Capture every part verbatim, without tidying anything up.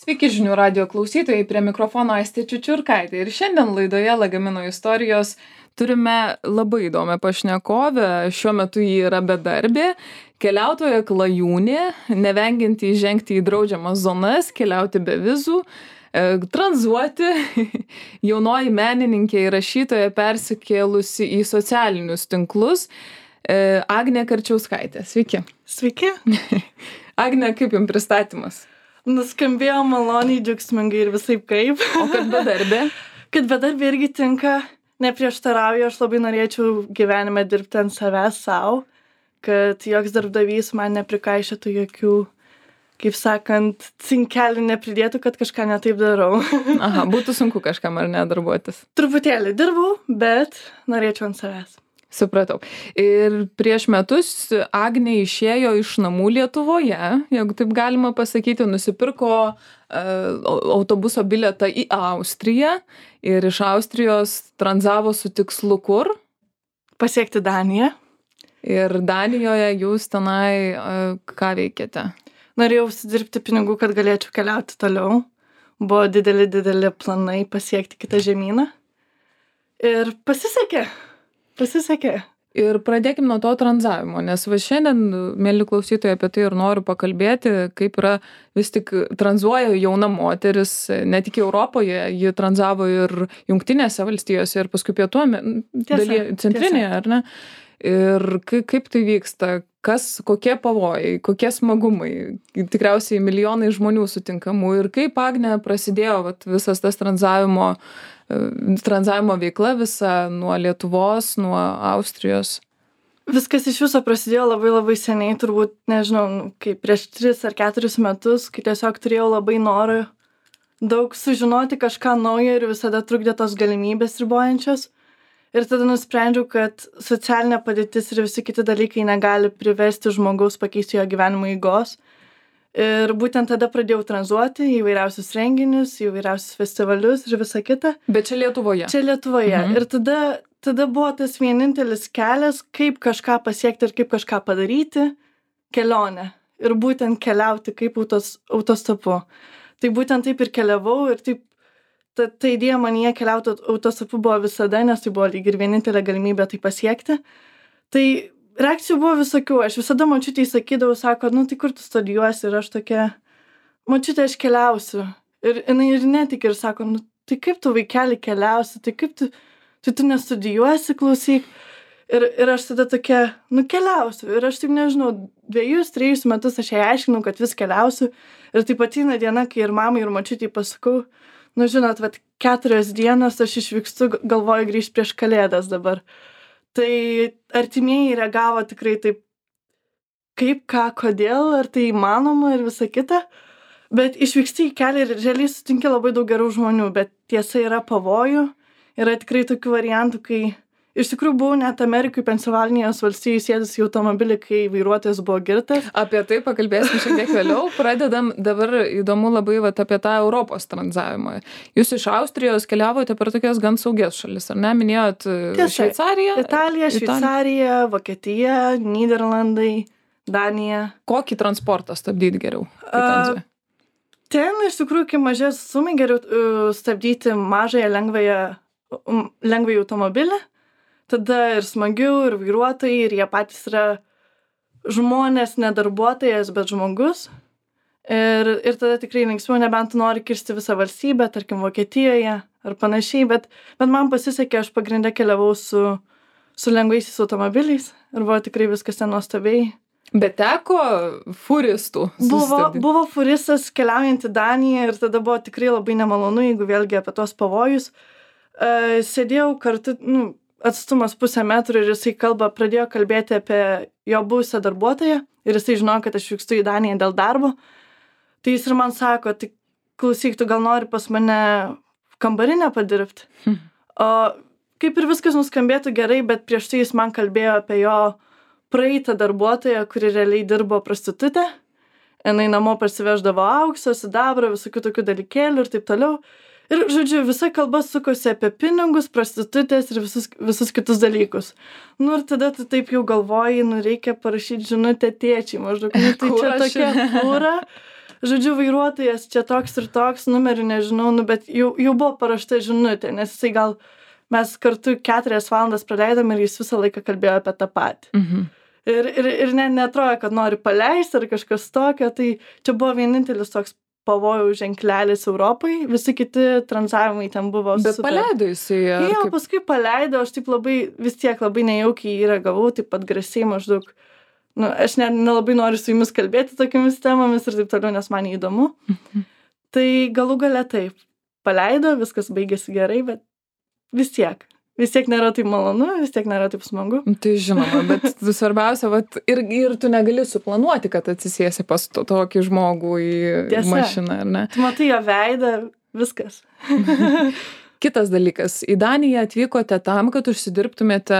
Sveiki žinių radijo klausytojai, prie mikrofono Aistė Čiučiurkaitė. Ir šiandien laidoje Lagamino istorijos turime labai įdomią pašnekovę. Šiuo metu ji yra bedarbė, keliautoja klajūnė, nevengianti įžengti į draudžiamas zonas, keliauti be vizų, tranzuoti, jaunoji menininkė ir rašytoja persikėlusi į socialinius tinklus. Agnė Karčiauskaitė. Sveiki. Sveiki. Agnė, kaip jums pristatymas? Nuskambėjo maloniai, džiaugsmingai ir visaip kaip. O kad bedarbė? Kad bedarbė irgi tinka, neprieštarauju, aš labai norėčiau gyvenime dirbti ant savęs savo, kad joks darbdavys man neprikaišėtų jokių, kaip sakant, cinkelių nepridėtų, kad kažką netaip darau. Aha, būtų sunku kažkam ar ne darbuotis? Truputėlį dirbau, bet norėčiau ant savęs. Supratau. Ir prieš metus Agnė išėjo iš namų Lietuvoje, jeigu taip galima pasakyti, nusipirko uh, autobuso bilietą į Austriją ir iš Austrijos tranzavo su tikslu kur? Pasiekti Daniją. Ir Danijoje jūs tenai uh, ką veikėte? Norėjau užsidirbti pinigų, kad galėčiau keliauti toliau. Buvo dideli, dideli planai pasiekti kitą žemyną. Ir pasisekė. Pasisekė. Ir pradėkim nuo to tranzavimo, nes va šiandien, mėly klausytojai, apie tai ir noriu pakalbėti, kaip yra vis tik tranzuoja jauna moteris, ne tik Europoje, ji tranzavo ir Jungtinėse valstijose ir paskui pietų dalyje, centrinėje, ar ne? Ir kaip tai vyksta, kas, kokie pavojai, kokie smagumai, tikriausiai milijonai žmonių sutinkamų ir kaip Agnė prasidėjo vat, visas tas tranzavimo tranzavimo veikla visa nuo Lietuvos, nuo Austrijos? Viskas iš viso prasidėjo labai labai seniai, turbūt, nežinau, kaip prieš tris ar keturis metus, kai tiesiog turėjau labai norą daug sužinoti kažką naujo ir visada trukdė tos galimybės ribojančios. Ir tada nusprendžiau, kad socialinė padėtis ir visi kiti dalykai negali priversti žmogaus pakeisti jo gyvenimo eigos. Ir būtent tada pradėjau tranzuoti į įvairiausius renginius, į įvairiausius festivalius ir visą kitą. Bet čia Lietuvoje? Čia Lietuvoje. Mhm. Ir tada, tada buvo tas vienintelis kelias, kaip kažką pasiekti ir kaip kažką padaryti - kelionė. Ir būtent keliauti kaip autos, autostopu. Tai būtent taip ir keliavau ir taip, ta, ta idėja manyje keliauti autostopu buvo visada, nes tai buvo lyg ir vienintelė galimybė tai pasiekti. Tai reakcijų buvo visokių, aš visada močiutei sakydavau, sako, nu tai kur tu studijuosi ir aš tokia, močiutė, aš keliausiu. Ir jinai ir netik ir sako, nu tai kaip tu vaikeli keliausi, tai kaip tu, tai tu nestudijuosi, klausyk. Ir, ir aš tada tokia, nu keliausiu. Ir aš taip nežinau, dviejus, trejus metus aš jai aiškinau, kad vis keliausiu. Ir taip ateina diena, kai ir mamai, ir močiutei pasakau, nu žinot, vat keturios dienos aš išvykstu, galvoju grįžti prieš Kalėdas dabar. Tai artimieji reagavo tikrai taip, kaip, ką, kodėl, ar tai įmanoma ir visa kita. Bet išvyksti į kelią ir realiai sutinki labai daug gerų žmonių, bet tiesa yra pavojų. Yra tikrai tokių variantų, kai iš tikrųjų buvau net Amerikai, Pensilvanijos valstijų sėdus į automobilį, kai vairuotojas buvo girtas. Apie tai pakalbėsim šiek tiek vėliau. Pradedam dabar įdomu labai vat, apie tą Europos tranzavimą. Jūs iš Austrijos keliavote per tokias gan saugias šalis, ar ne? Minėjot Šveicariją? Italija, Šveicarija, Vokietija, Nyderlandai, Danija. Kokį transportą stabdyti geriau? Uh, ten iš tikrųjų, kai mažės sumai, geriau uh, stabdyti mažąją lengvąją, um, lengvąjį automobilį. Tada ir smagiau, ir vairuotojai, ir jie patys yra žmonės, ne darbuotojas, bet žmogus. Ir, ir tada tikrai linksmiau, nebent tu nori kirsti visą valstybę, tarkim Vokietijoje ar panašiai, bet, bet man pasisekė, aš pagrindę keliavau su, su lengvaisiais automobiliais ir buvo tikrai viskas ten nuostabiai. Bet teko furistų buvo, buvo furistas keliaujant į Daniją ir tada buvo tikrai labai nemalonu, jeigu vėlgi apie tos pavojus. Uh, sėdėjau kartu, nu, atstumas pusę metrų ir jisai kalba, pradėjo kalbėti apie jo buvusią darbuotoją ir jisai žinojo, kad aš vykstu į Daniją dėl darbo. Tai jis ir man sako, tai klausyk, tu gal nori pas mane kambarinę padirbti. Hmm. O kaip ir viskas nuskambėtų gerai, bet prieš tai jis man kalbėjo apie jo praeitą darbuotoją, kuri realiai dirbo prostitutė. Jinai namo parsiveždavo aukso, sidabrą, visokių tokių dalykėlių ir taip toliau. Ir, žodžiu, visa kalba sukosi apie pinigus, prostitutės ir visus, visus kitus dalykus. Nu ir tada tu taip jau galvoji, nu reikia parašyti žinutę tėčiai, maždaug, nu tai čia tokia fūra. žodžiu, vairuotojas čia toks ir toks, numerių nežinau, nu, bet jau, jau buvo parašta žinutė, nes jisai gal mes kartu keturias valandas praleidom ir jis visą laiką kalbėjo apie tą patį. Mhm. Ir, ir, ir ne, netrodo, kad nori paleisti ar kažkas tokio, tai čia buvo vienintelis toks pavojų ženklelis Europai, visi kiti tranzavimai ten buvo Bet super. paleido jisai. ar Jo, kaip? paskui paleido, aš taip labai, vis tiek labai nejaukiai jį reagavau, taip pat grasiai maždaug, nu, aš ne, nelabai noriu su jumis kalbėti tokiamis temomis ir taip toliau, nes man įdomu. Tai galų gale taip, paleido, viskas baigėsi gerai, bet vis tiek. Vis tiek nėra taip malonu, vis tiek nėra taip smagu. Tai žinoma, bet svarbiausia, vat, ir, ir tu negali suplanuoti, kad atsisėsi pas to, tokį žmogų į Tiesa. mašiną, ar ne? Tu matai jo veidą, viskas. Kitas dalykas, į Daniją atvykote tam, kad užsidirbtumėte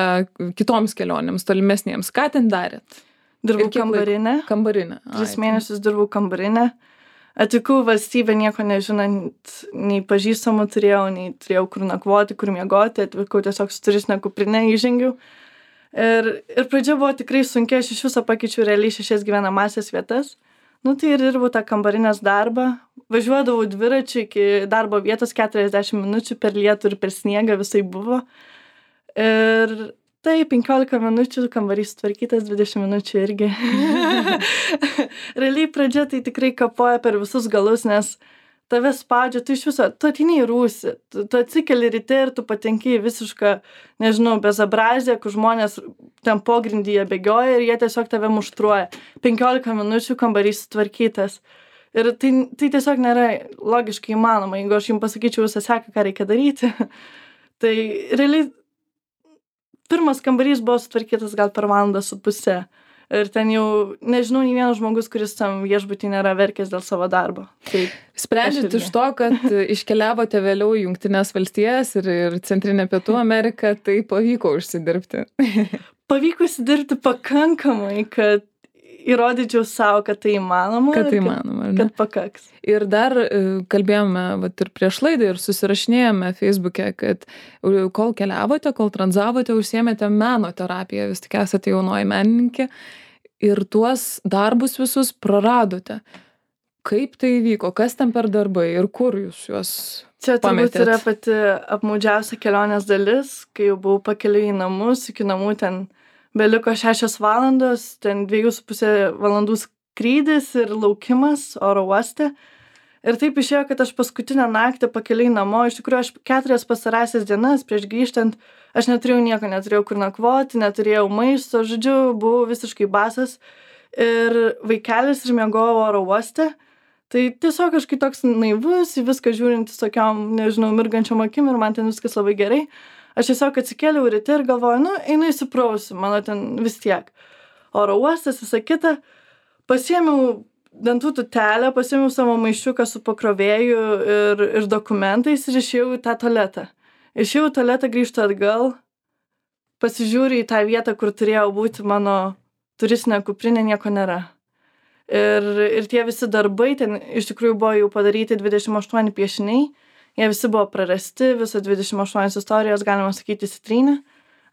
kitoms kelionėms, tolimesniems. Ką ten darėt? Dirbau Ir kiek laiko? kambarinę, Kambarinę. tris Ai, mėnesius dirbau kambarinę. Atvykau valstybę nieko nežinant, nei pažįstamų turėjau, nei turėjau kur nakvoti, kur miegoti, atvykau tiesiog su turistinė kuprinė, įžengiau. Ir, ir pradžia buvo tikrai sunkia, aš iš viso pakeičiau realiai šešias gyvenamasias vietas. Nu tai ir dirbau tą kambarinės darbą, važiuodavau dviračiu iki darbo vietos keturiasdešimt minučių per lietų ir per sniegą visai buvo. Ir tai penkiolika minučių kambarys sutvarkytas, dvidešimt minučių irgi. Realiai pradžia tai tikrai kapoja per visus galus, nes tave spaudžia, tu iš viso, tu ateini į rūsį, tu, tu atsikeli ryte ir tu patenki į visišką, nežinau, bezabrazę, kur žmonės ten pogrindyje bėgioja ir jie tiesiog tave muštruoja. penkiolika minučių kambarys sutvarkytas. Ir tai, tai tiesiog nėra logiškai įmanoma, jeigu aš jums pasakyčiau visą seką, ką reikia daryti. Tai realiai pirmas kambarys buvo sutvarkytas gal per valandą su pusę. Ir ten jau, nežinau, nei vienas žmogus, kuris tam viešbutį nėra verkęs dėl savo darbo. Tai Sprendžiant Aš irgi. iš to, kad iškeliavote vėliau į Jungtinės valstijas ir, ir Centrinę Pietų Ameriką, tai pavyko užsidirbti. pavyko įsidirbti pakankamai, kad įrodyčiau savo, kad tai įmanoma. Kad tai ir įmanoma, ar ne? Kad pakaks. Ir dar e, kalbėjome vat, ir prieš laidą ir susirašinėjome Facebook'e, kad e, kol keliavote, kol tranzavote, užsiėmėte meno terapiją, vis tik esate jaunoji menininkė ir tuos darbus visus praradote. Kaip tai įvyko, kas ten per darbai ir kur jūs juos Čia turbūt pametėt? yra pati apmaudžiausia kelionės dalis, kai jau buvau pakeliui į namus, iki namų ten beliko šešios valandos, ten dviejų su pusė valandų skrydis ir laukimas oro uoste. Ir taip išėjo, kad aš paskutinę naktį pakeliui namo, iš tikrųjų aš keturias pastarąsias dienas prieš grįžtant, aš neturėjau nieko, neturėjau kur nakvoti, neturėjau maisto, žodžiu, buvau visiškai basas ir vaikelis ir miegojau oro uoste. Tai tiesiog kažkaip toks naivus, į viską žiūrintis tokiom, nežinau, mirgančiom akim ir man ten viskas labai gerai. Aš tiesiog atsikėliau ryte ir galvoju, nu, einu įsiprausiu, mano ten vis tiek. Oro uostas, visa kita. Pasiėmiau dantų tutelę, pasiėmiau savo maišiuką su pakrovėju ir, ir dokumentais ir išėjau į tą tualetą. Išėjau į tualetą, grįžtu atgal, pasižiūriu į tą vietą, kur turėjau būti mano turistinė kuprinė, nieko nėra. Ir, ir tie visi darbai, ten iš tikrųjų buvo jau padaryti dvidešimt aštuoni piešiniai, jie visi buvo prarasti, visos dvidešimt aštuonios istorijos, galima sakyti, sitrynė.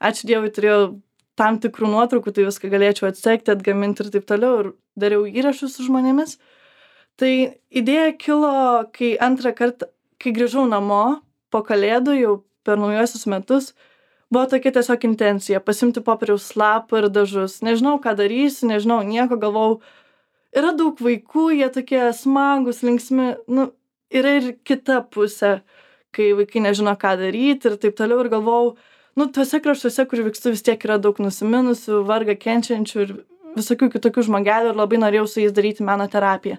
Ačiū Dievui, turėjau tam tikrų nuotraukų, tai viską galėčiau atsekti, atgaminti ir taip toliau, ir dariau įrašus su žmonėmis. Tai idėja kilo, kai antrą kartą, kai grįžau namo po kalėdų, jau per naujuosius metus, buvo tokia tiesiog intencija, pasimti popieriaus lapą ir dažus. Nežinau, ką darysiu, nežinau, nieko, galvau, yra daug vaikų, jie tokie smagus, linksmi, nu, yra ir kita pusė, kai vaikai nežino, ką daryti ir taip toliau, ir galvau, nu, tuose kraštuose, kur vykstu, vis tiek yra daug nusiminusių, vargą kenčiančių ir visokių kitokių žmogelių ir labai norėjau su jais daryti meno terapiją.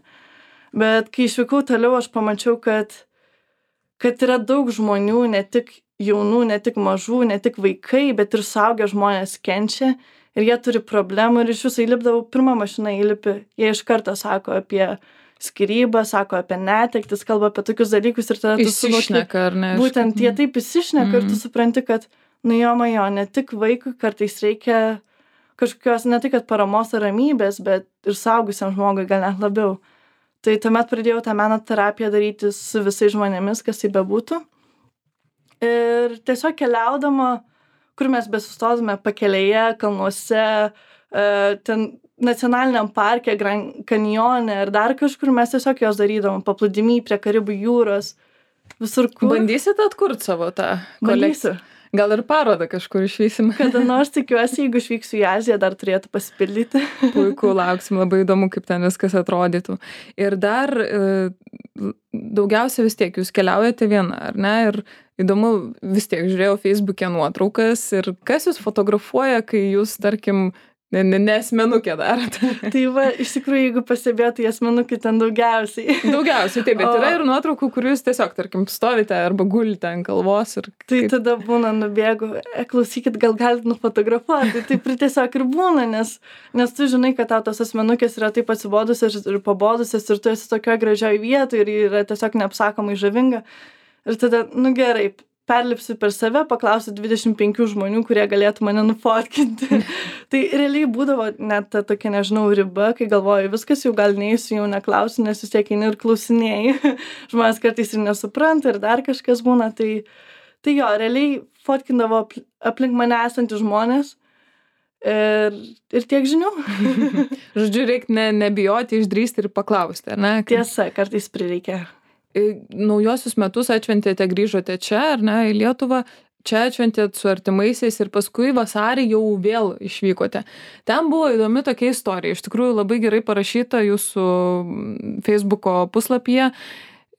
Bet kai išvykau toliau, aš pamačiau, kad, kad yra daug žmonių, ne tik jaunų, ne tik mažų, ne tik vaikai, bet ir suaugę žmonės kenčia ir jie turi problemų ir iš viso įlipdavau, pirmą mašiną įlipi, jie iš karto sako apie skyrybą, sako apie netektis, kalba apie tokius dalykus ir tada tu suvoki, Įsišneka, ar ne? būtent jie taip įsišneka ir tu supranti, kad nu jo, majo, ne tik vaikui kartais reikia kažkokios, ne tai kad paramos ar ramybės, bet ir saugusiam žmogui gal net labiau. Tai tuomet pradėjau tą meno terapiją daryti su visais žmonėmis, kas tai bebūtų. Ir tiesiog keliaudama, kur mes besustodame pakelėje, kalnuose, ten nacionaliniam parke, Grand Canyone ar dar kažkur, mes tiesiog jos darydavom paplūdimy prie Karibų jūros, visur kur. Bandysit atkurt savo tą kolekciją? Bandysiu. Gal ir parodą kažkur išvysim? Kada nors tikiuosi, jeigu išvyksiu į Aziją, dar turėtų pasipildyti. Puiku, lauksim, labai įdomu, kaip ten viskas atrodytų. Ir dar e, daugiausia vis tiek jūs keliaujate viena, ar ne? Ir įdomu, vis tiek žiūrėjau Facebook'e nuotraukas ir kas jūs fotografuoja, kai jūs, tarkim, ne, ne, ne asmenukė darote. Tai va, iš tikrųjų, jeigu pastebėtų, asmenukė ten daugiausiai. Daugiausiai, taip, bet O- yra ir nuotraukų, kur jūs tiesiog, tarkim, stovite arba gulite ant kalvos ir Tai kaip- tada būna nubėgu, e, klausykit, gal galit nufotografuoti. Taip ir tiesiog ir būna, nes, nes tu žinai, kad tau tos asmenukės yra taip atsibodusios ir pabodusios ir tu esi tokioje gražioje vietoje ir ji yra tiesiog neapsakomai žavinga. Ir tada, nu gerai, perlipsiu per save, paklausiu dvidešimt penkių žmonių, kurie galėtų mane nufotkinti. Tai realiai būdavo net ta tokia, nežinau, riba, kai galvoju, viskas jau gal neįsiu, jau neklausiu, nes vis tiek eini ir klausinėjai. Žmonės kartais ir nesupranta ir dar kažkas būna. Tai, tai jo, realiai fotkindavo apl- aplink mane esantys žmonės ir, ir tiek žinių. Žodžiu, reikia ne, nebijoti, išdrįsti ir paklausti, ar ne? Kaip- Tiesa, kartais prireikia. E, Naujosius metus atšventėte, grįžote čia, ar ne, į Lietuvą, čia atšventėt su artimaisiais ir paskui vasarį jau vėl išvykote. Ten buvo įdomi tokia istorija, iš tikrųjų labai gerai parašyta jūsų mm, Facebooko puslapyje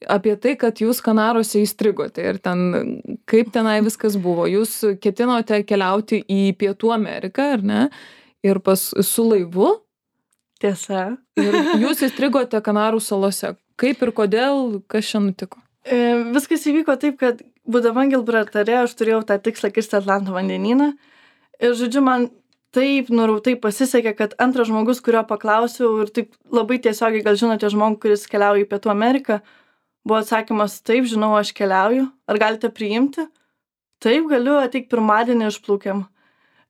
apie tai, kad jūs Kanaruose įstrigote ir ten, kaip tenai viskas buvo. Jūs ketinote keliauti į Pietų Ameriką, ar ne, ir pas, su laivu, Tiesa. ir jūs įstrigote Kanarų salose. Kaip ir kodėl, kas čia nutiko? E, viskas įvyko taip, kad būdama Gilbraltare aš turėjau tą tikslą kirsti Atlanto vandenyną. Ir žodžiu, man taip nurautai pasisekė, kad antras žmogus, kurio paklausiau ir taip labai tiesiogiai, gal žinote žmogų, kuris keliauja į Pietų Ameriką, buvo atsakymas, taip, žinau, aš keliauju. Ar galite priimti? Taip, galiu, ateik pirmadienį išplaukiam.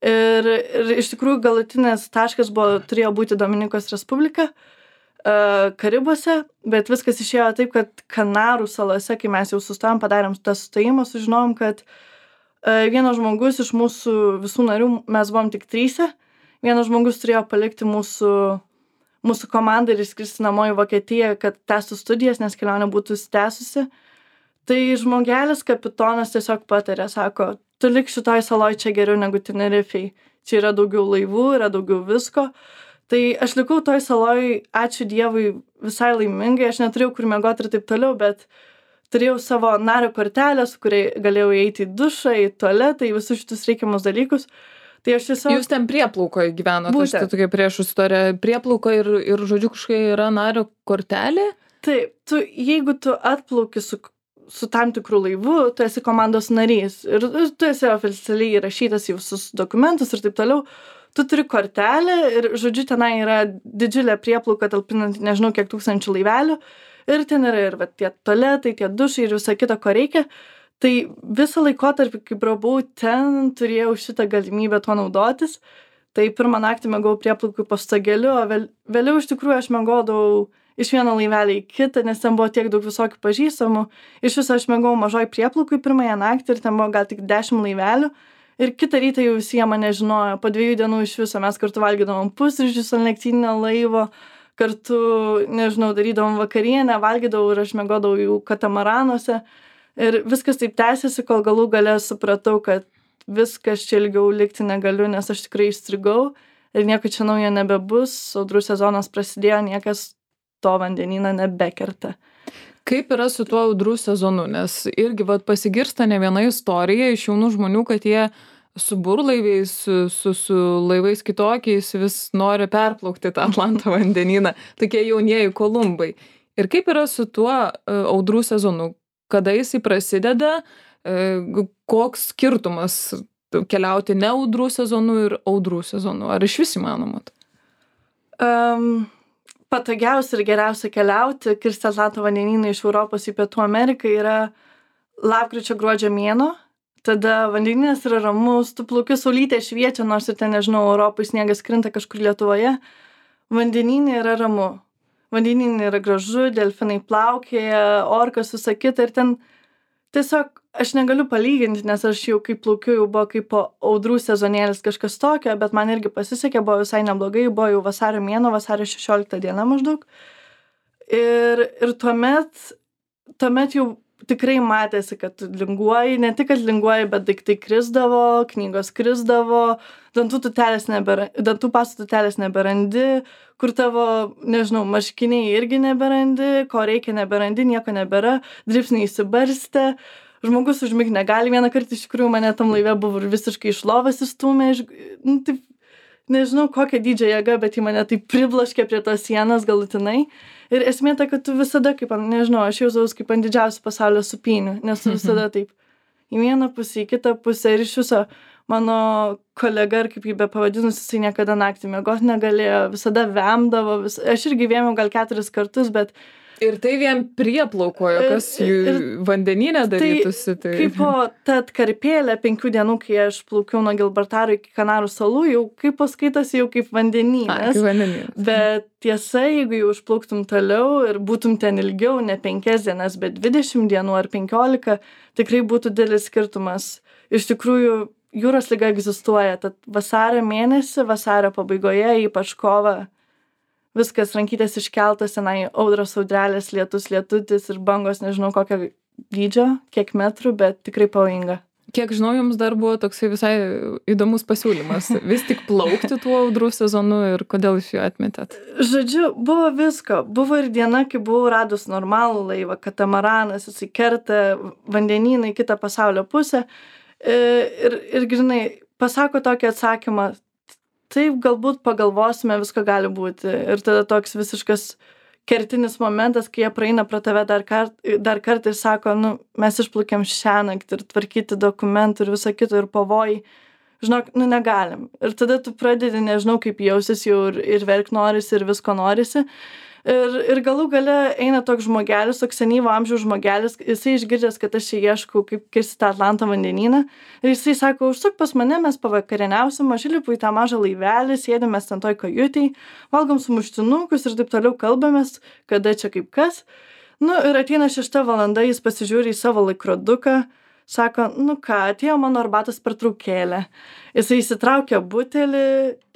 Ir, ir iš tikrųjų galutinės taškas buvo, turėjo būti Dominikos Respublika, uh, Karibuose, bet viskas išėjo taip, kad Kanarų salose, kai mes jau sustojom, padarėm tą sustojimą, sužinom, kad uh, vienas žmogus iš mūsų visų narių, mes buvom tik tryse, vienas žmogus turėjo palikti mūsų, mūsų komandą ir išskristi namo į Vokietiją, kad tęstų studijas, nes kelionė būtų tęsusi. Tai žmogelis kapitonas tiesiog patarė, sako, tu lik šitoj saloj čia geriau negu Tenerifei. Čia yra daugiau laivų, yra daugiau visko. Tai aš likau toj saloj, ačiū Dievui, visai laimingai, aš neturėjau kur miegoti ir taip toliau, bet turėjau savo nario kortelę, su kuriai galėjau eiti į dušą, į tualetą, į visus šitus reikiamus dalykus. Tai aš tiesiog... Jūs ten prieplaukoje gyvenote, aš tai Būtent. tokia prieš istoriją. Prieplauko ir, ir žodžiu, kažkokia yra nario kortelė. Taip, tu, jeigu tu atplauki su, su tam tikrų laivu, tu esi komandos narys ir tu esi oficialiai įrašytas į visus dokumentus ir taip toliau, tu turi kortelę ir, žodžiu, tenai yra didžiulė prieplauka talpinant nežinau kiek tūkstančių laivelių ir ten yra ir va, tie tualetai, tie dušai ir visa kita, ko reikia. Tai visą laikotarpį, kai brabau ten, turėjau šitą galimybę tuo naudotis. Tai pirmą naktį mėgau prieplaukui po stogeliu, o vėl, vėliau iš tikrųjų aš mėgodavau iš vieno laivelio į kitą, nes ten buvo tiek daug visokių pažįstamų. Iš viso aš mėgau mažoj prieplaukui pirmąją naktį ir ten buvo gal tik dešimt laivelių. Ir kitą rytą jau visi jie mane žinojo. Po dviejų dienų iš viso mes kartu valgydavom pusryčius ant lėktyninio laivo, kartu, nežinau, darydavom vakarienę, valgydavau ir aš mėgodavau jų katamaranuose. Ir viskas taip tęsiasi, kol galų gale supratau, kad viskas čia ilgiau likti negaliu, nes aš tikrai įstrigau ir nieko čia naujo nebebus. Audrų sezonas prasidėjo, niekas to vandenyną nebekerta. Kaip yra su tuo audrų sezonu? Nes irgi vat, pasigirsta ne viena istorija iš jaunų žmonių, kad jie su burlaiviais, su, su, su laivais kitokiais vis nori perplaukti tą Atlanto vandenyną. Tokie jaunieji Kolumbai. Ir kaip yra su tuo uh, audrų sezonu? Kada jisai prasideda, uh, koks skirtumas keliauti ne audrų sezonu ir audrų sezonu? Ar iš vis įmanoma? Um, patogiausia ir geriausia keliauti, kirsti Atlanto vandenyną iš Europos į Pietų Ameriką yra lapkričio gruodžio mėnuo. Tada vandenynas yra ramus, tu plauki, saulytė šviečia, nors ir ten, nežinau, Europai sniegas krinta kažkur Lietuvoje. Vandenynė yra ramu. Vandenynė yra gražu, delfinai plaukėja, orkas, visa kita ir ten tiesiog aš negaliu palyginti, nes aš jau kaip plaukiu, jau buvo kaip po audrų sezonėlis kažkas tokio, bet man irgi pasisekė, buvo visai neblogai, buvo jau vasario mėnuo, vasario šešiolikta diena maždaug. Ir, ir tuomet, tuomet jau tikrai matėsi, kad linguoji, ne tik, kad linguoji, bet daiktai krisdavo, knygos krisdavo, dantų tutelės nebėra, dantų pastų tutelės neberandi, kur tavo, nežinau, marškiniai irgi neberandi, ko reikia neberandi, nieko nebėra, dripsniai įsibarstė, žmogus užmigti negali, vieną kartą iš tikrųjų mane tam laive buvo ir visiškai iš lovas įstūmė, iš, nu, taip, nežinau kokią dydžią jėgą, bet į mane taip priblaškė prie tos sienos galutinai. Ir esmė ta, kad tu visada, kaip, nežinau, aš jausausi kaip ant didžiausių pasaulio supynių, nes tu visada taip į vieną pusę, į kitą pusę ir iš viso mano kolega, ar kaip jį be pavadinus, jisai niekada naktį miegoti negalėjo, visada vemdavo, vis... aš irgi vėmiau gal keturis kartus, bet ir tai vien prieplaukojo, kas jų vandenyne darytųsi. Tai... Kaip po ta atkarpėlė penkių dienų, kai aš plaukiau nuo Gilbertaro iki Kanarų salų, jau kaip paskaitosi, jau kaip vandenynas. Kaip vandenynas. Bet tiesa, jeigu jau užplauktum toliau ir būtum ten ilgiau, ne penkias dienas, bet dvidešimt dienų ar penkiolika, tikrai būtų didelis skirtumas. Iš tikrųjų, jūros liga egzistuoja, tad vasario mėnesį, vasario pabaigoje, ypač kovą, viskas rankytės iškeltas, tenai audros audrelės, lietus, lietutis ir bangos, nežinau kokio dydžio, kiek metrų, bet tikrai pavojinga. Kiek žinau, jums dar buvo toksai visai įdomus pasiūlymas. Vis tik plaukti tuo audrų sezonu ir kodėl iš jo atmetėt? Žodžiu, buvo visko. Buvo ir diena, kai buvau radus normalų laivą, katamaranas, jisai kerta vandenyną į kitą pasaulio pusę. Ir, ir grinai, pasako tokį atsakymą, taip, galbūt pagalvosime, visko gali būti. Ir tada toks visiškas kertinis momentas, kai jie praeina pro tave dar, kart, dar kartą ir sako, nu, mes išplaukėm šiąnakt ir tvarkyti dokumentų ir visą kitą ir pavojai. Žinok, nu, negalim. Ir tada tu pradedi, nežinau, kaip jausis jau ir, ir verk norisi, ir visko norisi. Ir, ir galų gale eina toks žmogelis, toks senyvo amžiaus žmogelis, jisai išgirdęs, kad aš čia ieškau, kaip kirsti tą Atlanto vandenyną. Ir jisai sako, užsuk pas mane, mes pavakarieniausim, aš įlipu į tą mažą laivelį, sėdėm mes ten toj kajutėj, valgom sumuštinukus ir taip toliau kalbamės, kada čia kaip kas. Nu ir ateina šešta valanda, jis pasižiūri į savo laikroduką, sako, nu ką, atėjo mano arbatos pertraukėlė. Jisai įsitraukė butelį,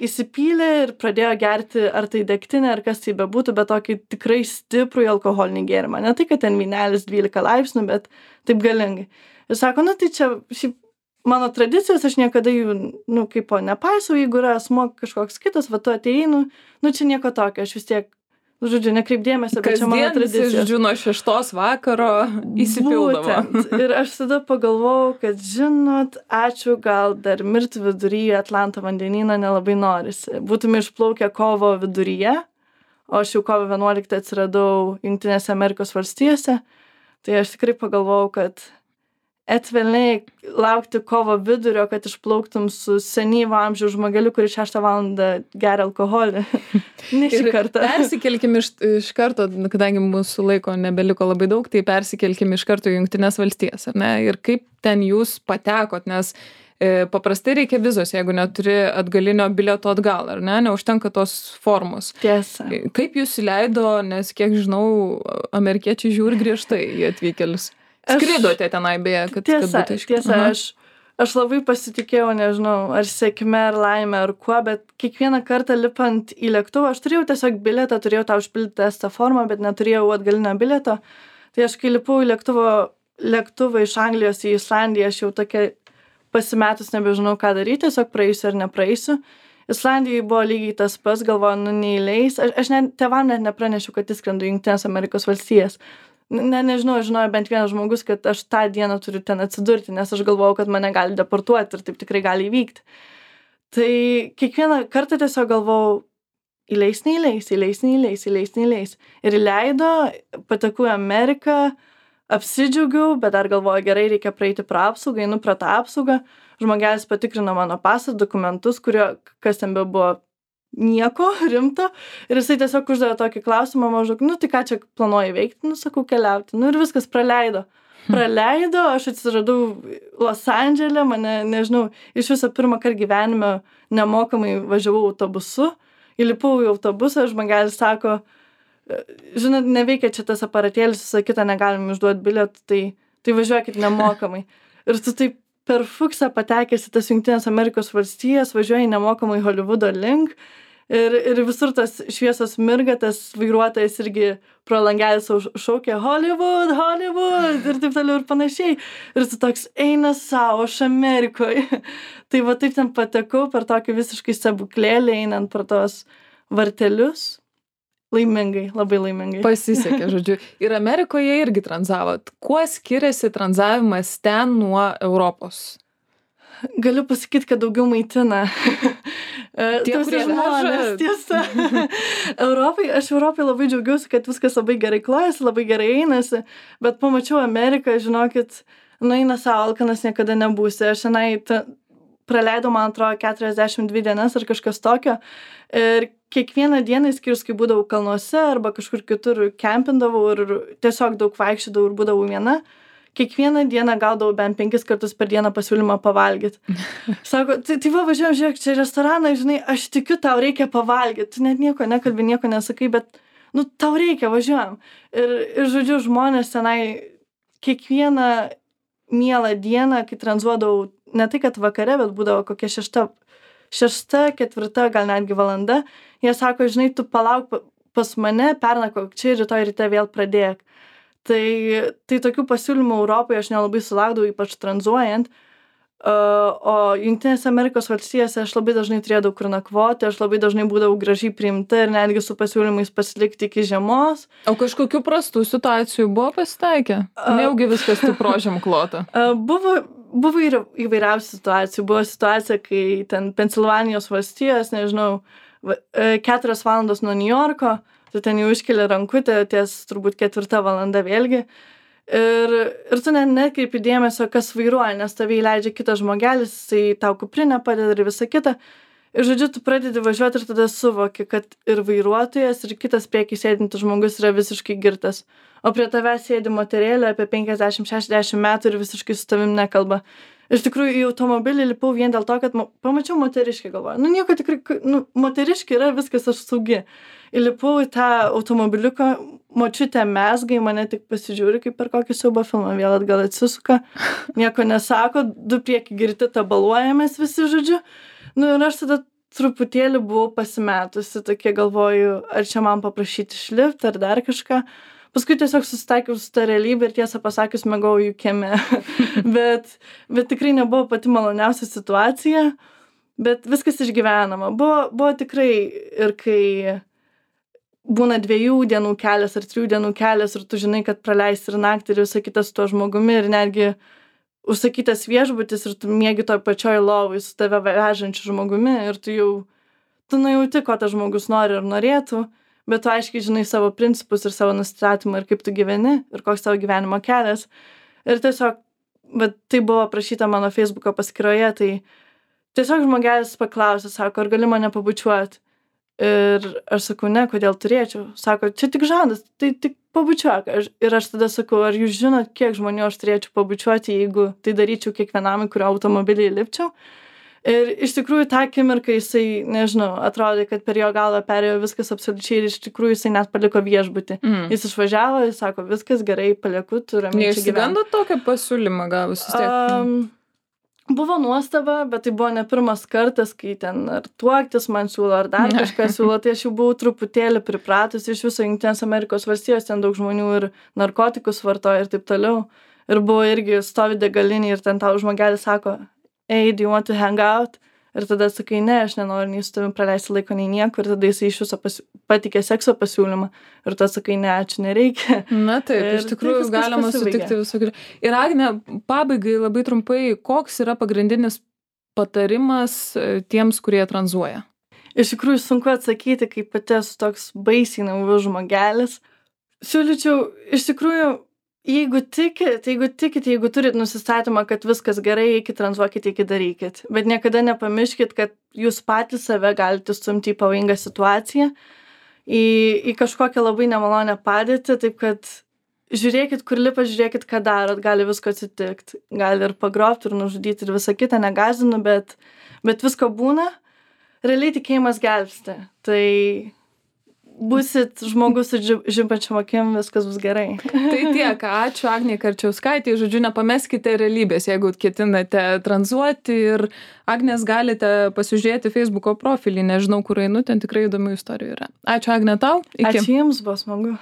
įsipylė ir pradėjo gerti, ar tai degtinė, ar kas tai bebūtų, bet tokį tikrai stiprų alkoholinį gėrimą. Ne tai, kad ten vynelis dvylika laipsnių, bet taip galingai. Ir sako, nu tai čia šiaip mano tradicijos, aš niekada jų, nu kaip po nepaisau, jeigu yra asmuo kažkoks kitas, va tu atėjai, nu, nu čia nieko tokio, aš vis tiek, žodžiu, nekreip dėmesio, bet čia mano tradicija. Žodžiu, nuo šeštos vakaro įsipildavo. Būtent. Ir aš tada pagalvojau, kad, žinot, ačiū, gal dar mirti viduryje Atlanto vandenyną nelabai norisi. Būtume išplaukę kovo viduryje, o aš jau kovo vienuoliktą atsiradau Jungtinėse Amerikos valstijose, tai aš tikrai pagalvojau, kad etvelniai laukti kovo vidurio, kad išplauktum su senyvo amžiaus žmogeliu, kuris šeštą valandą geria alkoholį. Ne šį kartą. Persikelkim iš, iš karto, kadangi mūsų laiko nebeliko labai daug, tai persikelkim iš karto į Jungtinės valstijas, ar ne? Ir kaip ten jūs patekot, nes e, paprastai reikia vizos, jeigu neturi atgalinio bilieto atgal, ar ne? Neužtenka tos formos. Tiesa. Kaip jūs įleido, nes kiek žinau, amerikiečiai žiūri griežtai į atvykėlius. Skridote tenai beje, kad, tiesa, kad būtų iškart. Tiesa, aš, aš labai pasitikėjau, nežinau, ar sėkme, ar laimė, ar kuo, bet kiekvieną kartą lipant į lėktuvą, aš turėjau tiesiog bilietą, turėjau tą užpildyti testą formą, bet neturėjau atgalinio bilieto. Tai aš kai lipau į lėktuvo, lėktuvą iš Anglijos į Islandiją, aš jau tokia pasimetus nebežinau, ką daryti, tiesiog praeisiu ar nepraeisiu. Islandijai buvo lygiai tas pats, galvoju, nu neįleis. Aš, aš net, tėvam net nepranešiau, kad įskrendu į Jungtinės Amerikos valstijas. Ne, nežinau, žinojo bent vienas žmogus, kad aš tą dieną turiu ten atsidurti, nes aš galvojau, kad mane gali deportuoti ir taip tikrai gali įvykti. Tai kiekvieną kartą tiesiog galvojau, įleis, neįleis, įleis, neįleis, įleis, neįleis. Ir įleido, patekau į Ameriką, apsidžiaugiau, bet dar galvoju, gerai, reikia praeiti pro apsaugą, einu pro tą apsaugą. Žmogelis patikrino mano pasą, dokumentus, kurio, kas ten be buvo, nieko rimto. Ir jisai tiesiog uždavė tokį klausimą maždaug, nu tai ką čia planuoji veikti, nu sakau, keliauti. Nu ir viskas praleido. Praleido, aš atsiradau Los Andžele, mane, nežinau, iš viso pirmą kartą gyvenime nemokamai važiavau autobusu. Įlipau į autobusą, žmogelis sako, žinot, neveikia čia tas aparatėlis, visą kitą negalim išduoti bilietų, tai tai važiuokit nemokamai. Ir tu taip per fuksą patekęs į tas Jungtinės Amerikos valstijas, važiuoji nemokamai Holivudo link ir, ir visur tas šviesos mirga, tas vairuotojas irgi pro langelį sau šaukia Hollywood, Hollywood ir taip toliau ir panašiai. Ir tu toks eina savo, aš Amerikoje. Tai va taip ten patekau per tokį visiškai stebuklėlį, einant per tos vartelius. Laimingai, labai laimingai. Pasisekė, žodžiu. Ir Amerikoje irgi tranzavot. Kuo skiriasi tranzavimas ten nuo Europos? Galiu pasakyti, kad daugiau maitina. Tie, kurie žmonės, tiesa. Europai, aš Europai labai džiaugiausi, kad viskas labai gerai klojasi, labai gerai einasi, bet pamačiau Ameriką, žinokit, nu eina savo, alkanas niekada nebūsi. Aš senai ta, praleidau, man atrodo, keturiasdešimt dvi dienas ar kažkas tokio. Ir kiekvieną dieną, skirius, kai būdavau kalnuose arba kažkur kitur kempindavau ir tiesiog daug vaikščiodavau ir būdavau viena, kiekvieną dieną gaudavau bent penkis kartus per dieną pasiūlymą pavalgyti. Sako, tai, tai va, važiuojam, žiūrėk, čia restoraną, žinai, aš tikiu, tau reikia pavalgyti. Tu net nieko nekalbi, nieko nesakai, bet, nu, tau reikia, važiuojam. Ir, ir žodžiu, žmonės tenai kiekvieną mielą dieną, kai tranzuodavau, ne tai, kad vakare, bet būdavo kokia šešta, šešta, ketvirta, gal netgi valanda, jie sako, žinai, tu palauk pas mane, pernakvok čia ir rytoj ryte vėl pradėk. Tai, tai tokių pasiūlymų Europoje aš nelabai sulaukdavau, ypač tranzuojant, uh, o Jungtinėse Amerikos valstijose aš labai dažnai turėdavau kur nakvoti, aš labai dažnai būdavau gražiai priimta ir netgi su pasiūlymais pasilikti iki žiemos. O kažkokių prastų situacijų buvo pasitaikę? Uh, Nejaugi viskas taip rožėm klota? Uh, buvo, buvo ir įvairiausių situacijų. Buvo situacija, kai ten Pensilvanijos valstijos, nežinau, keturios valandos nuo Niujorko, tu ten jau iškeli rankutę ties turbūt ketvirta valanda vėlgi. Ir, ir tu net nekreipi dėmesio, kas vairuoja, nes tave įleidžia kitas žmogelis, jisai tau kuprinę padeda ir visa kita. Ir žodžiu, tu pradedi važiuoti ir tada suvoki, kad ir vairuotojas, ir kitas prieky sėdintis žmogus yra visiškai girtas. O prie tavęs sėdi moterėlė apie penkiasdešimt šešiasdešimt metų ir visiškai su tavim nekalba. Iš tikrųjų, į automobilį lipau vien dėl to, kad ma- pamačiau moteriškį, galvoju. Nu, nieko tikrai, nu, moteriškį yra, viskas aš saugi. Įlipau į tą automobiliuką, močiutė mezgai, mane tik pasižiūri, kaip per kokį siaubo filmą, vėl atgal atsisuka, nieko nesako, du prieki girti tabaluojamės visi, žodžiu. Nu, ir aš tada truputėlį buvau pasimetusi, tokie galvoju, ar čia man paprašyti išlipti, ar dar kažką. Paskui tiesiog susitaikiau su ta realybė ir tiesą pasakius mėgau jų kieme. bet, bet tikrai nebuvo pati maloniausia situacija, bet viskas išgyvenama. Buvo, buvo tikrai ir kai būna dviejų dienų kelias ar trijų dienų kelias ir tu žinai, kad praleisi ir naktį ir visą kitą su tuo žmogumi ir netgi užsakytas viešbutis ir tu miegi toj pačioj lovai su tave vežančiu žmogumi ir tu jau, tu nujauti, ko tas žmogus nori ir norėtų. Bet tu aiškiai žinai savo principus ir savo nustatymą ir kaip tu gyveni ir koks tavo gyvenimo kelias. Ir tiesiog, bet tai buvo prašyta mano Facebooko paskyroje, tai tiesiog žmogelis paklausė, sako, ar gali mane pabučiuoti. Ir aš sakau, ne, kodėl turėčiau. Sako, čia tik žandas, tai tik pabučiuok. Aš, ir aš tada sakau, ar jūs žinot, kiek žmonių aš turėčiau pabučiuoti, jeigu tai daryčiau kiekvienam, į kurio automobilį lipčiau. Ir iš tikrųjų tą akimirką jisai, nežinau, atrodė, kad per jo galvą perėjo viskas absoliučiai ir iš tikrųjų jisai net paliko viešbutį. Mm. Jis išvažiavo, jis sako, viskas gerai, palieku, tu ramiai čia gyventi. Neišsigandot tokio pasiūlymą gavus vis tiek? Um, buvo nuostaba, bet tai buvo ne pirmas kartas, kai ten ar tuoktis man siūlo, ar dar kažką siūlo, tai aš jau buvau truputėlį pripratus iš viso Jungtinės Amerikos valstijos, ten daug žmonių ir narkotikus vartoja ir taip toliau. Ir buvo irgi stovi degalinė ir ten tau žmogelis sako, hey, do you want to hang out? Ir tada sakai, ne, aš nenoriu nei su tavim praleisti laiko, nei nieko. Ir tada jisai iš viso pasi... patikė sekso pasiūlymą. Ir tada sakai, ne, ačiū, nereikia. Na taip, ir iš tikrųjų galima sutikti visokių. Ir Agne, pabaigai labai trumpai, koks yra pagrindinis patarimas tiems, kurie tranzuoja? Iš tikrųjų sunku atsakyti, kai pati esu toks baisiai naivus žmogelis. Siūlyčiau, iš tikrųjų, jeigu tikit, jeigu tikit, jeigu turit nusistatymą, kad viskas gerai, eikit, tranzuokit, eikit, darykit. Bet niekada nepamirškit, kad jūs patys save galite stumti į pavojingą situaciją, į, į kažkokią labai nemalonę padėtį, taip kad žiūrėkit, kur lipa, žiūrėkit, ką darot, gali visko atsitikti. Gali ir pagrobti, ir nužudyti, ir visą kitą, negazinu, bet, bet visko būna. Realiai tikėjimas gelbsti. Tai būsit žmogus su dži- žimpančiom akim, viskas bus gerai. Tai tiek, ačiū Agnei Karčiauskaitei, žodžiu, nepameskite realybės, jeigu ketinate tranzuoti ir Agnės galite pasižiūrėti Facebooko profilį, nežinau, kur einu, ten tikrai įdomių istorijų yra. Ačiū Agne tau, iki. Ačiū jums, buvo smagu.